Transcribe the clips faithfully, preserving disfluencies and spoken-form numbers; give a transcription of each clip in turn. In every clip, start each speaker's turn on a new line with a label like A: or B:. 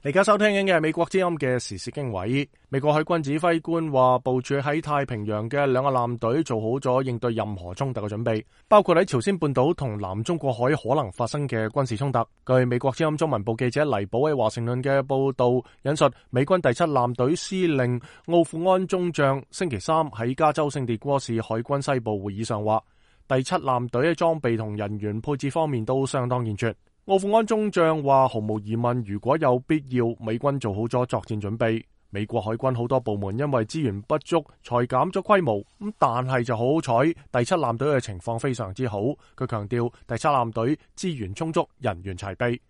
A: 而家收聽緊嘅係美國之音嘅時事經緯。美國海軍指揮官話，部署喺太平洋嘅兩個艦隊做好咗應對任何衝突嘅準備，包括喺朝鮮半島同南中國海可能發生嘅軍事衝突。據美國之音中文部記者黎寶喺華盛頓嘅報道引述，美軍第七艦隊司令奧庫安中將星期三喺加州聖迭戈市海軍西部會議上話，第七艦隊喺裝備同人員配置方面都相當健全。奧庫安中將話，毫無疑問，如果有必要，美軍做好咗作戰準備。美國海軍好多部門因為資源不足，裁減咗規模。咁但係就好好彩，第七艦隊嘅情況非常之好。佢強調，第七艦隊資源充足，人員齊備。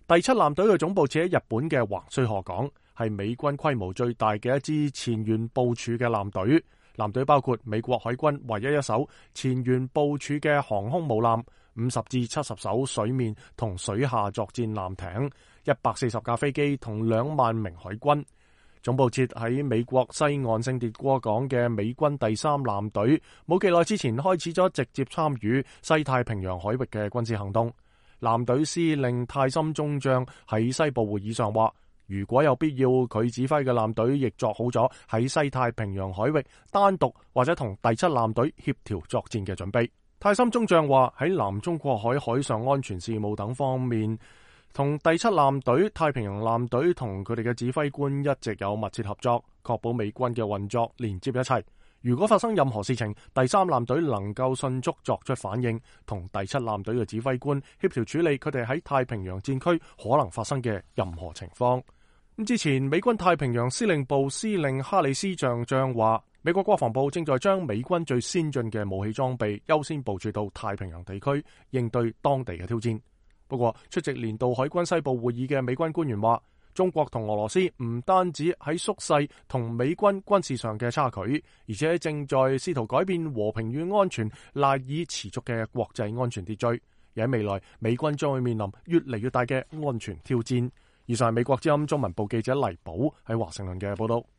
A: 第七艦隊嘅總部設喺日本嘅橫須賀港，係美軍規模最大嘅一支前沿部署嘅艦隊。艦隊包括美國海軍唯一一艘前沿部署嘅航空母艦，五十至七十艘水面同水下作戰艦艇，一百四十架飛機同兩萬名海軍。總部設喺美國西岸聖迭戈港嘅美軍第三艦隊，冇幾耐之前開始咗直接參與西太平洋海域嘅軍事行動。艦隊司令泰森中將喺西部會議上話，如果有必要，佢指揮嘅艦隊亦作好咗喺西太平洋海域單獨或者同第七艦隊協調作戰嘅準備。泰森中將話，喺南中國海海上安全事務等方面，同第七艦隊、太平洋艦隊同佢哋嘅指揮官一直有密切合作，確保美軍嘅運作連接一齊。如果發生任何事情，第三艦隊能夠迅速作出反應，同第七艦隊嘅指揮官協調處理佢哋喺太平洋戰區可能發生嘅任何情況。咁之前，美軍太平洋司令部司令哈里斯上將話，美國國防部正在將美軍最先進嘅武器裝備優先部署到太平洋地區，應對當地嘅挑戰。不過，出席年度海軍西部會議嘅美軍官員話，中國同俄羅斯唔單止喺縮細同美軍軍事上嘅差距，而且正在試圖改變和平與安全賴以持續嘅國際安全秩序。而喺未來，美軍將會面臨越嚟越大嘅安全挑戰。以上係美國之音中文部記者黎寶喺華盛頓嘅報道。